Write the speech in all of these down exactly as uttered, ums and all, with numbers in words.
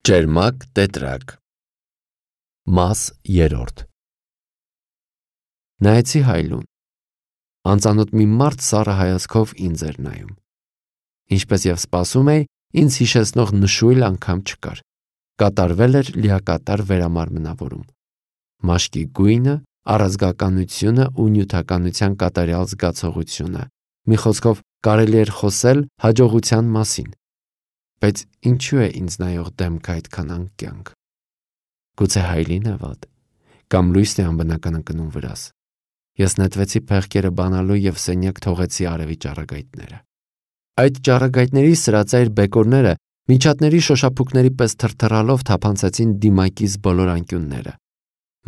Ճերմակ տետրակ Մաս երրորդ Նայեցի հայլուն, անծանոթ մի մարդ սառը հայացքով ինձ էր նայում, ինչպես և սպասում էի, ինձ հիշեցնող նշույլ անգամ չկար, կատարվել էր լիակատար վերամարմնավորում, մաշկի գույնը, առազգականությունը ու նյութականության կատարյալ զգացողությունը, մի խոսքով կարելի էր խոսել հաջողության մասին. Բայց ինչու է ինձ նայող դեմքը այդքան անկյանք, գուցե հայլին է վատ, կամ լույսն է անբնական ընկնում վրաս, ես նետվեցի փեղկերը բանալու և սենյակ թողեցի արևի ճառագայթները, այդ ճառագայթների սրածայր բեկորները միջատների շոշափուկների պես թրթռալով թափանցեցին դիմակիս բոլոր անկյունները,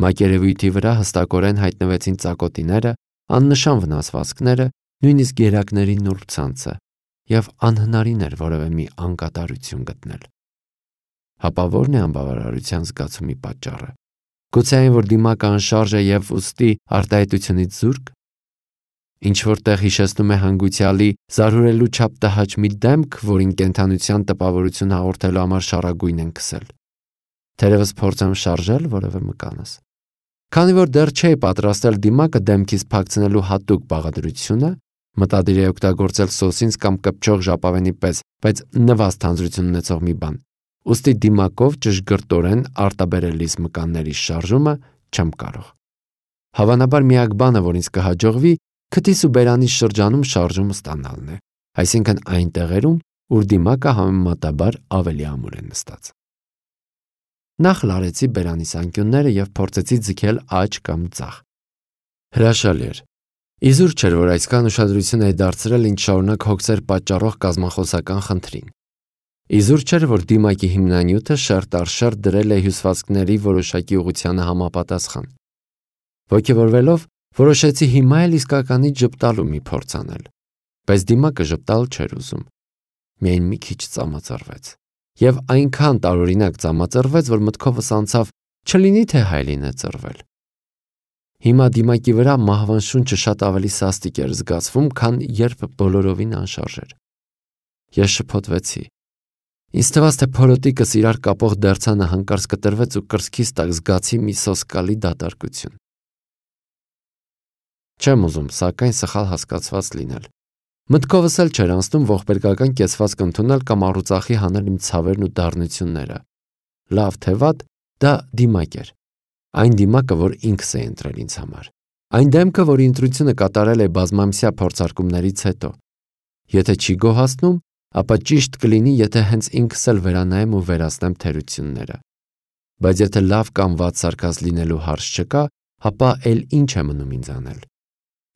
մակերևույթի վրա հստակորեն հայտնվեցին ծակոտիները, աննշան վնասվածքները, նույնիսկ գերակների նուրբ ցանցը, և անհնարին էր որևէ մի անկատարություն գտնել, հապա ո՞րն է անբավարարության զգացումի պատճառը, գուցե այն, որ դիմակը անշարժ է և ուստի արտահայտությունից զուրկ, ինչ-որ տեղ հիշեցնում է հանգուցյալի զարհուրելու չափ տհաճ մի դեմք, որին կենդանության տպավորություն հաղորդելու համար շառագույն են քսել, թերևս փորձեմ շարժել որևէ մկանս, քանի որ դեռ չէի պատրաստել դիմակը դեմքից փակցնելու հատուկ բաղադրությունը, մտադիր էի օգտագործել սոսինձ կամ կպչող ժապավենի պես, բայց նվազ թանձրություն ունեցող մի բան, ուստի դիմակով ճշգրտորեն արտաբերելիս մկանների շարժումը չեմ կարող, հավանաբար միակ բանը, որ ինձ կհաջողվի, քթիս ու բերանիս շրջանում շարժում ստանալն է, այսինքն այն տեղերում, ուր դիմակը համեմատաբար ավելի ամուր է նստած։ Նախ լարեցի բերանիս անկյունները և փորձեցի ձգել աջ կամ ձախ։ Հրաշալի էր։ Իզուր չէր, որ այսքան ուշադրություն էի դարձրել ինձ շարունակ հոգսեր պատճառող կազմախոսական խնդրին։ Իզուր չէր, որ դիմակի հիմնանյութը շերտ առ շերտ դրել է հյուսվածքների որոշակի ուղղությանը համապատասխան։ Ոգևորվելով, որոշեցի հիմա էլ իսկականից ժպտալու մի փորձ անել, բայց դիմակը ժպտալ չէր ուզում։ Միայն մի քիչ ծամածրվեց։ Եվ այնքան տարօրինակ ծամածրվեց, որ մտքովս անցավ, չլինի թե հայլին է ծռվել։ Հիմա դիմակի վրա մահվան շունչը շատ ավելի սաստիկ էր զգացվում, քան երբ բոլորովին անշարժ էր։ Ես շփոթվեցի։ Ինձ թվաց, թե փորոտիկս իրար կապող դերձանը հանկարծ կտրվեց ու կրծքիս տակ զգացի մի սոսկալի դատարկություն։ Չեմ ուզում, սակայն սխալ հասկացված լինել։ Մտքովս էլ չէր անցնում ողբերգական կեցվածք ընդունել կամ առուծախի հանել իմ ցավերն ու դառնությունները։ Լավ թե վատ, դա դիմակ էր։ Այն դիմակը, որ ինքս էի ընտրել ինձ համար։ Այն դեմքը, որի ընտրությունը կատարել է բազմամսյա փորձարկումներից հետո։ Եթե չի գոհացնում, ապա ճիշտ կլինի, եթե հենց ինքս էլ վերանայեմ ու վերացնեմ թերությունները։ Բայց եթե լավ կամ վատ սարքած լինելու հարց չկա, ապա էլ ինչ է մնում ինձ անել։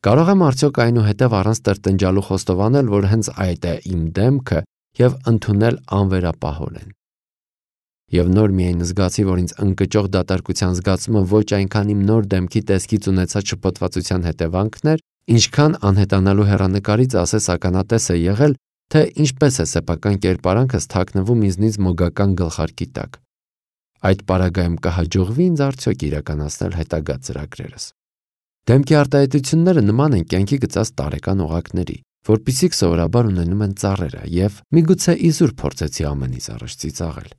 Կարող եմ արդյոք այնուհետև առանց տրտնջալու խոստովանել, որ հենց այդ է իմ դեմքը և ընդունել անվերապահորեն։ Եվ նոր միայն զգացի, որ ինձ ընկճող դատարկության զգացումը ոչ այնքան իմ նոր դեմքի տեսքից ունեցած շփոթվածության հետևանքն էր, ինչքան անհետանալու հեռանկարից ասես ականատես է եղել, թե ինչպես է սեփական կերպարանքս թաքնվում ինձնից մոգական գլխարկի տակ։ Այդ պարագայում կհաջողվի ինձ արդյոք իրականացնել հետագա ծրագրերս։ Դեմքի արտահայտությունները նման են կյանքի գծած տարեկան օղակների, որպիսիք սովորաբար ունենում են ծառերը, և միգուցե իզուր փորձեցի ամենից առաջ ծիծաղել։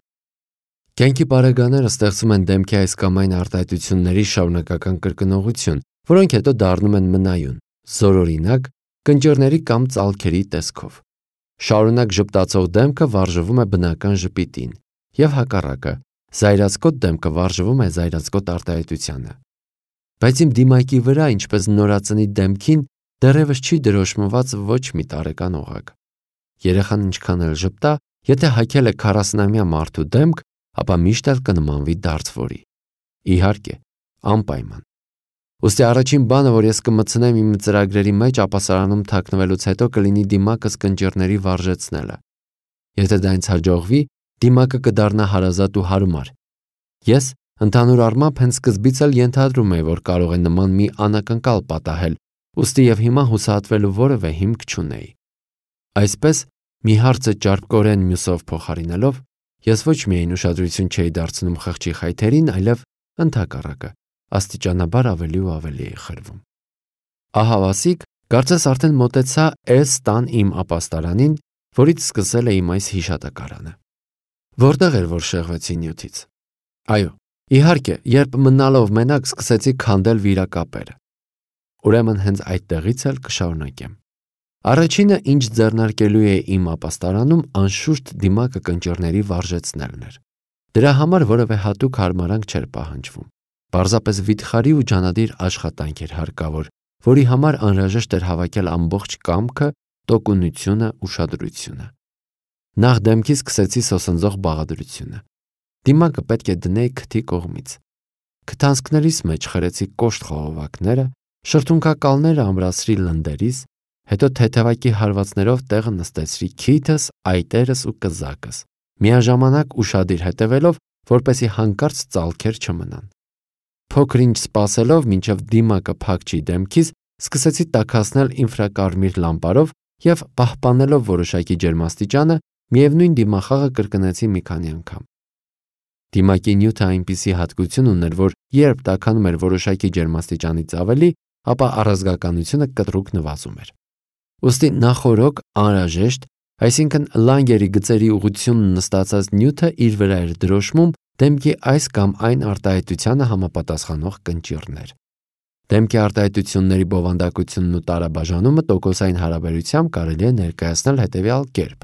Կյանքի պարագաները ստեղծում են դեմքի այս կամ այն արտահայտությունների շարունակական կրկնողություն, որոնք հետո դառնում են մնայուն, զորօրինակ, կնճիռների կամ ծալքերի տեսքով։ Շարունակ ժպտացող դեմքը վարժվում է բնական ժպիտին, և հակառակը, զայրացկոտ դեմքը վարժվում է զայրացկոտ արտահայտությանը։ Բայց իմ դիմակի վրա, ինչպես նորածնի դեմքին, դեռևս չի դրոշմված ոչ մի տարեկան օղակ։ Երեխան ինչքան էլ ժպտա, եթե հագել է քառասունամյա մարդու դեմք, ապա միշտ էլ կնմանվի դարձվորի։ Իհարկե, անպայման։ Ուստի առաջին բանը, որ ես կմտցնեմ իմ ծրագրերի մեջ ապասարանում թաքնվելուց հետո, կլինի դիմակս կնճիռների վարժեցնելը։ Եթե դա ինձ հաջողվի, դիմակը կդառնա հարազատ ու հարմար։ Ես ընդհանուր առմամբ հենց սկզբից էլ ենթադրում էի, որ կարող է նման մի անակնկալ պատահել, ուստի և հիմա հուսահատվելու որևէ հիմք չունեի։ Այսպես, մի հարցը ճարպկորեն մյուսով փոխարինելով, ես ոչ միայն ուշադրություն չէի դարձնում խղճի խայթերին, այլև ընդհակառակը, աստիճանաբար ավելի ու ավելի էի խրվում։ Ահավասիկ, կարծես արդեն մոտեցա էս տան իմ ապաստարանին, որից սկսել է իմ այս հիշատակարանը։ Որտեղ էր, որ շեղվեցի նյութից։ Այո, իհարկե, երբ մնալով մենակ սկսեցի քանդել վիրակապերը։ Ուրեմն հենց այդտեղից էլ կշարունակեմ։ Առաջինը, ինչ ձեռնարկելու է իմ ապաստարանում, անշուշտ դիմակը կնճիռների վարժեցնելն էր։ Դրա համար որևէ հատուկ հարմարանք չէր պահանջվում։ Պարզապես վիթխարի ու ջանադիր աշխատանք էր հարկավոր, որի համար անհրաժեշտ էր հավաքել ամբողջ կամքը, տոկունությունը, ուշադրությունը։ Նախ դեմքից սկսեցի սոսնձող բաղադրությունը։ Դիմակը պետք է դնեի քթի կողմից։ Քթանցքներիս մեջ խրեցի կոշտ խողովակները, շրթունքակալները ամրացրի լնդերիս, հետո թեթևակի հարվածներով տեղը նստեցրի քիթս, այտերս ու կզակս, միաժամանակ ուշադիր հետևելով, որպեսզի հանկարծ ծալքեր չմնան։ Փոքր-ինչ սպասելով, մինչև դիմակը փակչի դեմքից, սկսեցի տաքացնել ինֆրակարմիր լամպարով և պահպանելով որոշակի ջերմաստիճանը, միևնույն դիմախաղը կրկնեցի մի քանի անգամ։ Դիմակի նյութը այնպիսի հատկություն ուներ, որ երբ տաքանում էր որոշակի ջերմաստիճանից ավելի, ապա առազգականությունը կտրուկ նվազում էր։ Ուստի նախօրոք անհրաժեշտ, այսինքն լանգերի գծերի ուղղությունն նստածած նյութը իր վրա էր դրոշմում դեմքի այս կամ այն արտահայտությանը համապատասխանող կնճիռներ։ Դեմքի արտահայտությունների բովանդակությունն ու տարաբաժանումը տոկոսային հարաբերությամբ կարելի է ներկայացնել հետևյալ կերպ.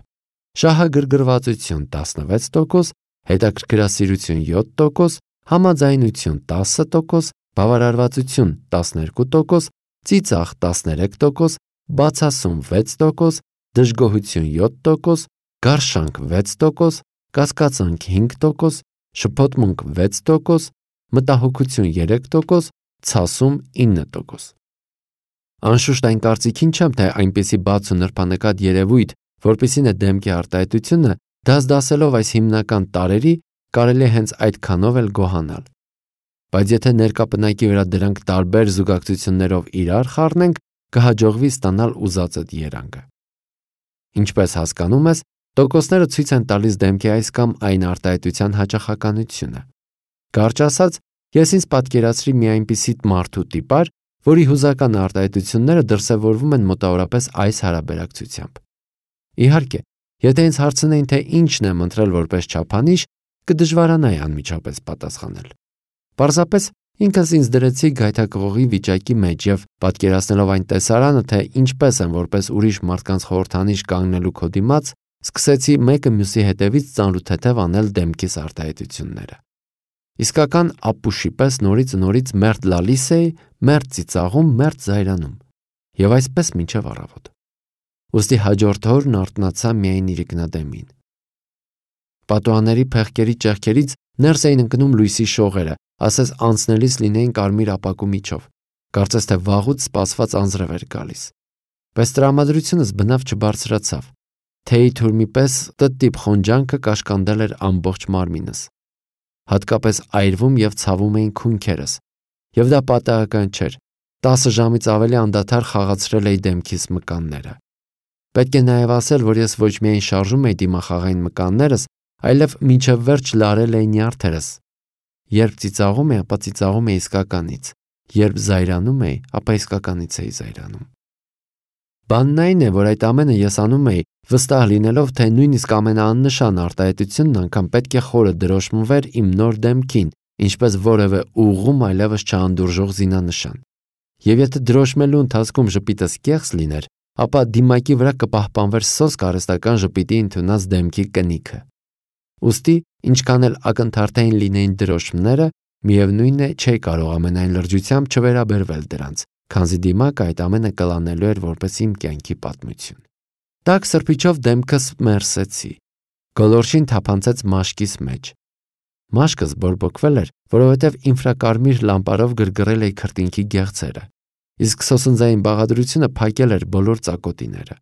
շահագրգռվածություն տասնվեց տոկոս, հետաքրքրասիրություն յոթ տոկոս, համաձայնություն տասը տոկոս, բավարարվածություն տասներկու տոկոս, ծիծաղ տասներեք տոկոս, բացասում վեց տոկոս, դժգոհություն յոթ տոկոս, գարշանք վեց տոկոս, կասկածանք հինգ տոկոս, շփոթմունք վեց տոկոս, մտահոգություն երեք տոկոս, ցասում ինը տոկոս։ Անշուշտ այն կարծիքին չեմ, թե այնպիսի բաց ու նրբանկատ երևույթ, որպիսին է դեմքի արտահայտությունը, դասդասելով այս հիմնական տարրերի, կարելի է հենց այդքանով էլ գոհանալ։ Բայց եթե ներկա պնակի վրա դրանք տարբեր զուգակցություններով իրար խառնենք, կհաջողվի ստանալ ուզածդ երանգը։ Ինչպես հասկանում ես, տոկոսները ցույց են տալիս դեմքի այս կամ այն արտահայտության հաճախականությունը։ Կարճ ասած, ես ինձ պատկերացրի մի այնպիսի մարդու տիպար, որի հուզական արտահայտությունները դրսևորվում են մոտավորապես այս հարաբերակցությամբ։ Իհարկե, եթե ինձ հարցնեին, թե ինչն եմ ընտրել որպես չափանիշ, կդժվարանայի անմիջապես պատասխանել։ Պարզապես ինքս ինձ դրեցի գայթակղողի վիճակի մեջ և պատկերացնելով այն տեսարանը, թե ինչպես եմ որպես ուրիշ մարդկանց խորհրդանիշ կանգնելու քո դիմաց, սկսեցի մեկը մյուսի հետևից ծանրութեթև անել դեմքիս արտահայտությունները։ Իսկական ապուշի պես նորից ու նորից մերթ լալիս էի, մերթ ծիծաղում, մերթ զայրանում, և այսպես մինչև առավոտ։ Ուստի հաջորդ օրն արթնացա միայն իրիկնադեմին։ Պատուհանների փեղկերի ճեղքերից ներս էին ընկնում լույսի շողերը, ասես անցնելիս լինեին կարմիր ապակու միջով, կարծես թե վաղուց սպասված անձրև էր գալիս։ Բայց տրամադրությունս բնավ չբարձրացավ։ Թեյի թուրմի պես տտիպ խոնջանքը կաշկանդել էր ամբողջ մարմինս։ Հատկապես այրվում և ցավում էին քունքերս, և դա պատահական չէր, տասը ժամից ավելի անդադար խաղացրել էի դեմքիս մկանները։ Պետք է նաև ասել, որ ես ոչ միայն շարժում էի դիմախաղային մկաններս, այլև մինչև վերջ լարել էի նյարդերս։ Երբ ծիծաղում էի, ապա ծիծաղում էի իսկականից, երբ զայրանում էի, ապա իսկականից էի զայրանում։ Բանն այն է, որ այդ ամենը ես անում էի, վստահ լինելով, թե նույնիսկ ամենաաննշան արտահայտությունն անգամ պետք է խորը դրոշմվեր իմ նոր դեմքին, ինչպես որևէ ուղղում այլևս չանդուրժող զինանշան։ Եվ եթե դրոշմելու ընթացքում ժպիտս կեղծ լիներ, ապա դիմակի վրա կպահպանվեր սոսկ արհեստական ժպիտի ընդունած դեմքի կնիքը։ Ուստի, ինչքան էլ ակնթարթային լինեին դրոշմները, միևնույն է, չէի կարող ամենայն լրջությամբ չվերաբերվել դրանց, քանզի դիմակը այդ ամենը կլանելու էր որպես իմ կյանքի պատմություն։ Տաք սրբիչով դեմքս մերսեցի, գոլորշին թափանցեց մաշկիս մեջ։ Մաշկս բորբոքվել էր, որովհետև ինֆրակարմիր լամպարով գրգռել էի քրտինքի գեղձերը, իսկ սոսնձային բաղադրությունը փակել էր բոլոր ծակոտիները։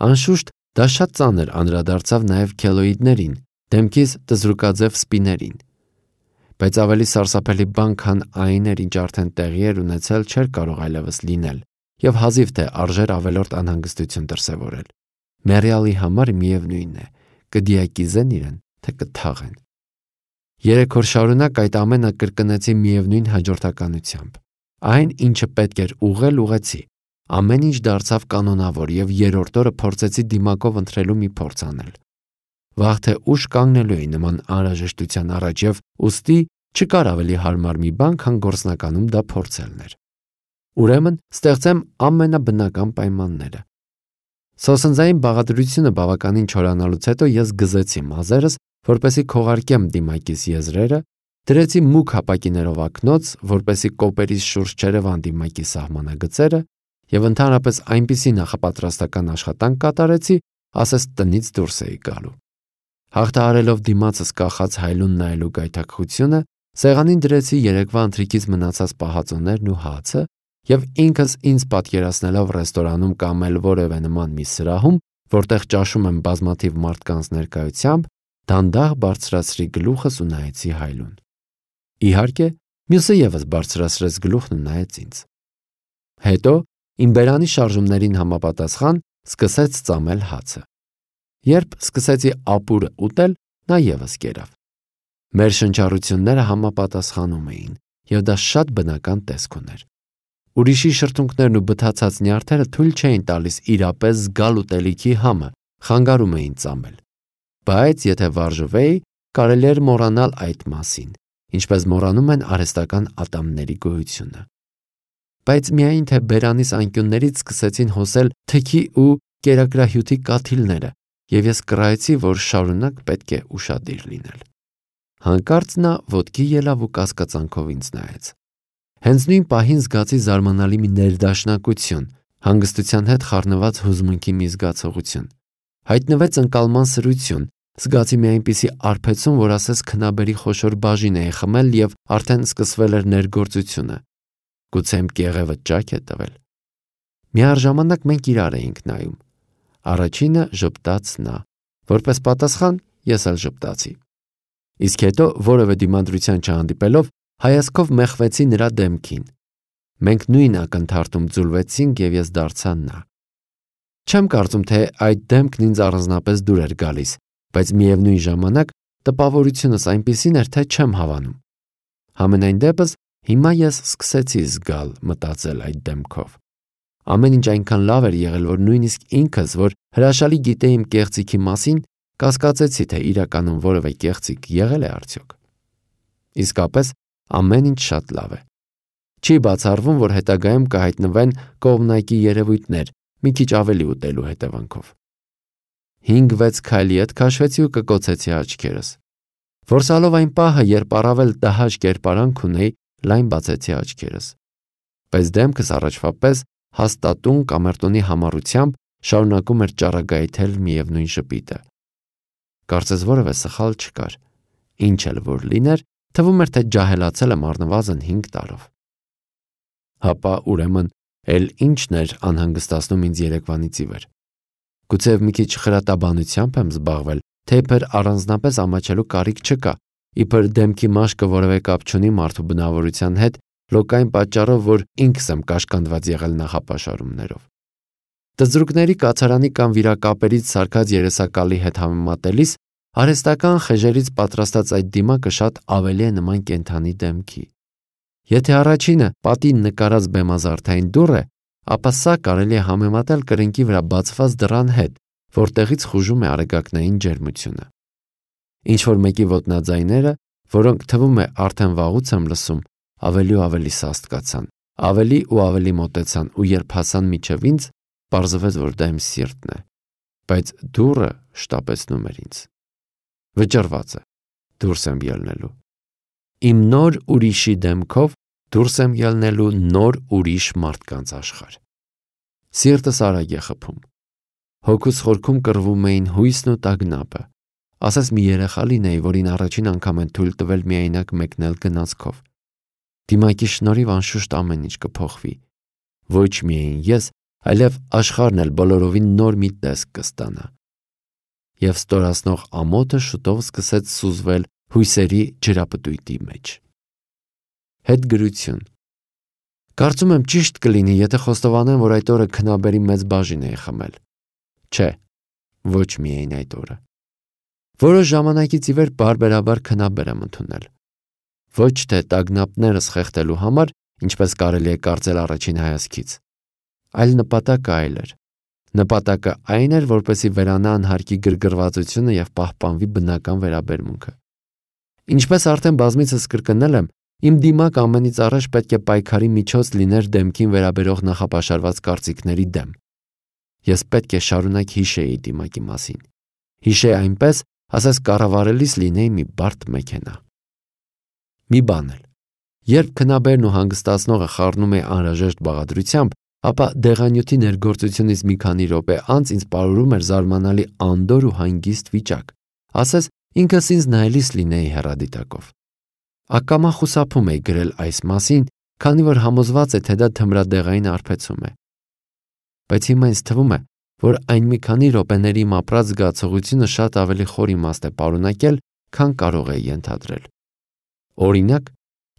Անշուշտ, դա շատ ծանր անդրադարձավ նաև քելոիդներին, դեմքիս տզրուկաձև սպիներին։ Բայց ավելի սարսափելի բան, քան այն էր, ինչ արդեն տեղի էր ունեցել, չէր կարող այլևս լինել, և հազիվ թե արժեր ավելորդ անհանգստություն դրսևորել։ Մեռյալի համար միևնույն է, կդիակիզեն իրեն, թե կթաղեն։ Երեք օր շարունակ այդ ամենը կրկնեցի միևնույն հաջորդականությամբ։ Այն, ինչը պետք էր ուղղել, ուղղեցի։ Ամեն ինչ դարձավ կանոնավոր, և երրորդ օրը փորձեցի դիմակով ընթրելու մի փորձ անել։ վաղ թե ուշ կանգնելու էի նման անհրաժեշտության առաջ եւ ուստի չկար ավելի հարմար մի բան, քան գործնականում դա փորձելն էր։ Ուրեմն ստեղծեմ ամենաբնական պայմանները։ Սոսնձային բաղադրությունը բավականին չորանալուց հետո ես գզեցի մազերս, որպեսի քողարկեմ դիմակիս եզրերը, դրեցի մուգ հապակիներով ակնոց, որպեսի կոպերիս շուրջ չերևան դիմակի սահմանագծերը, եւ ընդհանրապես այնպիսի նախապատրաստական աշխատանք կատարեցի, ասես տնից դուրս էի գալու։ Հաղթահարելով դիմացս կախած հայլուն նայելու գայթակղությունը, սեղանին դրեցի երեկվա ընթրիքից մնացած պահածոներն ու հացը եւ ինքս ինձ պատկերացնելով ռեստորանում կամ էլ որևէ նման մի սրահում, որտեղ ճաշում եմ բազմաթիվ մարդկանց ներկայությամբ, դանդաղ բարձրացրի գլուխս ու նայեցի հայլուն։ Իհարկե, մյուսը եւս բարձրացրեց գլուխն ու նայեց ինձ։ Հետո իմ բերանի շարժումներին համապատասխան սկսեց ծամել հացը։ Երբ սկսեցի ապուրը ուտել, նա եւս կերավ։ Մեր շնչառությունները համապատասխանում էին, եւ դա շատ բնական տեսք ուներ։ Ուրիշի շրթունքներն ու բթացած նյարդերը թույլ չէին տալիս իրապես զգալ ուտելիքի համը, խանգարում էին ծամել։ Բայց եթե վարժվեի, կարելի էր մոռանալ այդ մասին, ինչպես մոռանում են արհեստական ատամների գոյությունը։ Բայց միայն թե բերանիս անկյուններից սկսեցին հոսել թքի ու կերակրահյութի կաթիլները, եւ ես կռայեցի, որ շարունակ պետք է ուշադիր լինել։ Հանկարծ նա ոտքի ելավ ու կասկածանքով ինձ նայեց։ Հենց նույն պահին զգացի զարմանալի մի ներդաշնակություն, հանգստության հետ խառնված հուզմունքի մի զգացողություն։ Հայտնվեց ընկալման սրություն, զգացի մի այնպիսի արբեցում, որ ասես քնաբերի խոշոր բաժին էի խմել եւ արդեն սկսվել էր ներգործությունը։ Գուցե իմ կեղևը ճաք է տվել։ Միառժամանակ մենք իրար էինք նայում։ Առաջինը ժպտաց նա, որպես պատասխան ես էլ ժպտացի։ Իսկ հետո որևէ դիմադրության չհանդիպելով հայացքով մեխվեցի նրա դեմքին։ Մենք նույն ակնթարթում ձուլվեցինք եւ ես դարձա նա։ Չեմ կարծում, թե այդ դեմքն ինձ առանձնապես դուր էր գալիս, բայց միևնույն ժամանակ տպավորությունս այնպիսին էր, թե չեմ հավանում։ Համենայն դեպս հիմա ես սկսեցի զգալ, մտածել այդ դեմքով։ Ամեն ինչ այնքան լավ էր եղել, որ նույնիսկ ինքս, որ հրաշալի գիտեի իմ կեղծիքի մասին, կասկածեցի, թե իրականում որևէ կեղծիք եղել է արդյոք։ Իսկապես ամեն ինչ շատ լավ է։ Չի բացառվում, որ հետագայում կհայտնվեն կողմնակի երևույթներ, մի քիչ ավելի ուտելու հետևանքով։ Հինգ-վեց քայլի հետ քաշվեցի ու կկոցեցի աչքերս։ Որսալով այն պահը, երբ առավել տհաճ կերպարանք ունեի, լայն բացեցի աչքերս։ Բայց դեմքս առաջվա պես հաստատուն կամերտոնի համառությամբ շարունակում էր ճառագայթել միևնույն շպիտը։ Կարծես որևէ սխալ չկար։ Ինչ էլ որ լիներ, թվում էր, թե ջահելացել եմ առնվազն հինգ տարով։ Հապա ուրեմն էլ ինչն էր անհանգստացնում ինձ երեկվանից ի վեր։ Գուցեև մի քիչ խրատաբանությամբ եմ զբաղվել, թե իբր առանձնապես ամաչելու կարիք չկա, իբր դեմքի մաշկը որևէ կապ չունի մարդու բնավորության հետ, լոկային պատճառով, որ ինքս եմ կաշկանդված եղել նախապաշարումներով։ Տզրուկների կացարանի կամ վիրակապերից սարքած երեսակալի հետ համեմատելիս արհեստական խեժերից պատրաստած այդ դիմակը շատ ավելի է նման կենդանի դեմքի։ Եթե առաջինը պատին նկարած բեմազարդային դուռ է, ապա սա կարելի է համեմատել կրնկի վրա բացված դռան հետ, որտեղից խուժում է արեգակնային ջերմությունը։ Ինչ-որ մեկի ոտնաձայները, որոնք թվում է արդեն վաղուց եմ լսում, ավելի ու ավելի սաստկացան, ավելի ու ավելի մոտեցան ու երբ հասան մինչև ինձ, պարզվեց, որ դա իմ սիրտն է, բայց դուռը շտապեցնում էր ինձ։ Վճռված է, դուրս եմ ելնելու։ Իմ նոր ուրիշի դեմքով դուրս եմ ելնելու նոր ուրիշ մարդկանց աշխարհ։ Սիրտս արագ է խփում։ Հոգուս խորքում կռվում էին հույսն ու տագնապը։ Ասես մի երեխա լինեի, որին առաջին անգամ են թույլ տվել միայնակ մեկնել գնացքով։ Դիմակի շնորհիվ անշուշտ ամեն ինչ կփոխվի։ Ոչ միայն ես, այլև աշխարհն էլ բոլորովին նոր մի տեսք կստանա։ Եվ ստորացնող ամոթը շուտով սկսեց սուզվել հույսերի ջրապտույտի մեջ։ Հետգրություն։ Կարծում եմ ճիշտ կլինի, եթե խոստովանեմ, որ այդ օրը քնաբերի մեծ բաժին էի խմել։ Չէ, ոչ միայն այդ օրը։ Որոշ ժամանակից ի վեր բարբերաբար քնաբեր եմ ընդունել։ Ոչ թե տագնապներս խեղդելու համար, ինչպես կարելի է կարծել առաջին հայացքից, այլ նպատակը այլ էր։ Նպատակը այն էր, որպեսզի վերանա անհարկի գրգռվածությունը և պահպանվի բնական վերաբերմունքը։ Ինչպես արդեն բազմիցս կրկնել եմ, իմ դիմակ ամենից առաջ պետք է պայքարի միջոց լիներ դեմքին վերաբերող նախապաշարված կարծիքների դեմ։ Ես պետք է շարունակ հիշեի դիմակի մասին։ Հիշեի այնպես, ասես կառավարելիս լինեի մի բարդ մեքենա։ Մի բան էլ, երբ քնաբերն ու հանգստացնողը խառնում է անհրաժեշտ բաղադրությամբ, ապա դեղանյութի ներգործությունից մի քանի րոպե անց ինձ պարուրում էր զարմանալի անդոր ու հանգիստ վիճակ, ասես ինքս ինձ նայելիս լինեի հեռադիտակով։ Ակամա խուսափում էի գրել այս մասին, քանի որ համոզված է, թե դա թմրադեղային արբեցում է։ Բայց հիմա ինձ թվում է, որ այն մի քանի րոպեների իմ ապրած զգացողությունը շատ ավելի խոր իմաստ է պարունակել, քան կարող էի ենթադրել։ Օրինակ,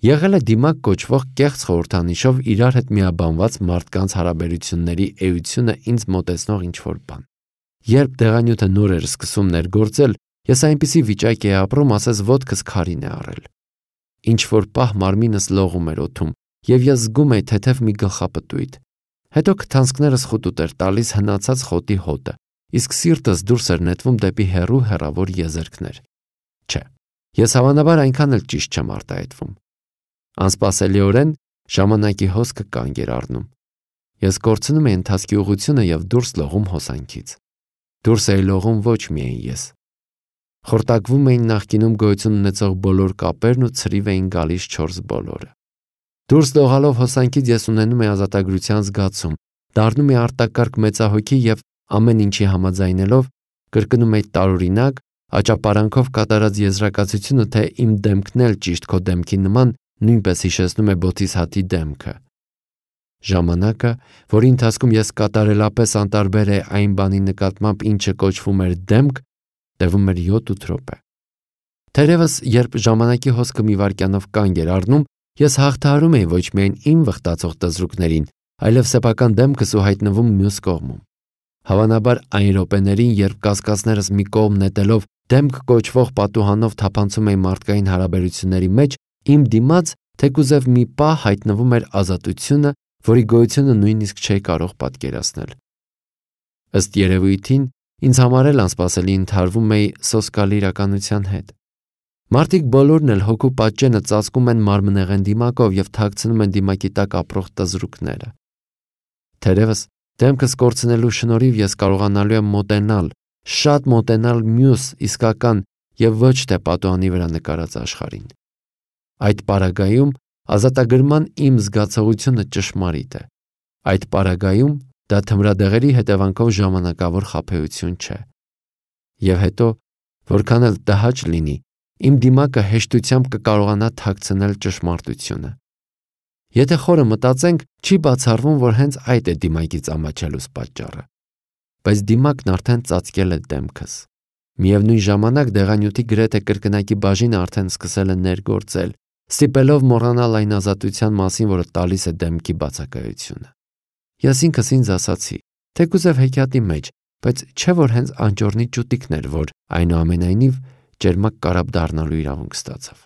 եղել է դիմակ կոչվող կեղծ խորհրդանիշով իրար հետ միաբանված մարդկանց հարաբերությունների էությունը ինձ մոտեցնող ինչ-որ բան։ Երբ դեղանյութը նոր էր սկսում ներգործել, ես այնպիսի վիճակ էի ապրում, ասես ոտքս քարին է առել։ Ինչ-որ պահ մարմինս լողում էր օդում, և ես զգում էի թեթև մի գլխապտույտ։ Հետո քթանցքներս խուտուտ էր տալիս հնացած խոտի հոտը, իսկ սիրտս դուրս էր նետվում դեպի հեռու հեռավոր եզերքներ։ Չէ, ես հավանաբար այնքան էլ ճիշտ չեմ արտահայտվում։ Անսպասելիորեն ժամանակի հոսքը կանգ էր առնում։ Ես կորցնում էի ընթացքի ուղղությունը և դուրս լողում հոսանքից։ Դուրս էի լողում ոչ միայն ես։ Խորտակվում էին նախկինում գոյություն ունեցող բոլոր կապերն ու ցրիվ էին գալիս չորս բոլորը։ Դուրս լողալով հոսանքից ես ունենում էի ազատագրության զգացում, դառնում էի արտակարգ մեծահոգի և ամեն ինչի համաձայնելով կրկնում էի տարօրինակ, աճապարանքով կատարած եզրակացությունը, թե իմ դեմքն էլ ճիշտ քո դեմքի նման նույնպես հիշեցնում է Բոդհիսհատի դեմքը։ Ժամանակը, որի ընթացքում ես կատարելապես անտարբեր էի այն բանի նկատմամբ, ինչը կոչվում էր դեմք, տևում էր յոթ-ութ րոպե։ Թերևս, երբ ժամանակի հոսքը մի վայրկյանով կանգ էր առնում, ես հաղթահարում էի ոչ միայն իմ վխտացող տզրուկներին, այլև սեփական դեմքս ու հայտնվում մյուս կողմում։ Հավանաբար այն րոպեներին, երբ կասկածներս մի կողմ նետելով դեմք կոչվող պատուհանով թափանցում էի մարդկային հարաբերությունների մեջ, իմ դիմաց թեկուզև մի պահ հայտնվում էր ազատությունը, որի գոյությունը նույնիսկ չէի կարող պատկերացնել։ Ըստ երևույթին, ինձ համար էլ անսպասելի ընդհարվում էի սոսկալի իրականության հետ։ Մարդիկ բոլորն էլ հոգու պատճենը ծածկում են մարմնեղեն դիմակով և թաքցնում են դիմակի տակ ապրող տզրուկները։ Թերևս դեմքս կորցնելու շնորհիվ ես կարողանալու եմ մոտենալ, շատ մոտենալ մյուս իսկական և ոչ թե պատուհանի վրա նկարած աշխարհին։ Այդ պարագայում ազատագրման իմ զգացողությունը ճշմարիտ է։ Այդ պարագայում դա թմրադեղերի հետևանքով ժամանակավոր խաբեություն չէ։ Եվ հետո, որքան էլ տհաճ լինի, իմ դիմակը հեշտությամբ կկարողանա թաքցնել ճշմարտությունը։ Եթե խորը մտածենք, չի բացառվում, որ հենց այդ է դիմակից ամաչելուս պատճառը։ Բայց դիմակն արդեն ծածկել է դեմքս։ Միևնույն ժամանակ դեղանյութի գրեթե կրկնակի բաժինը արդեն սկսել է ներգործել, ստիպելով մոռանալ այն ազատության մասին, որը տալիս է դեմքի բացակայությունը։ Ես ինքս ինձ ասացի, թեկուզև հեքիաթի մեջ, բայց չէ՞ որ հենց անճոռնի ճուտիկն էր, որ այնուամենայնիվ ճերմակ կարապ դառնալու իրավունք ստացավ։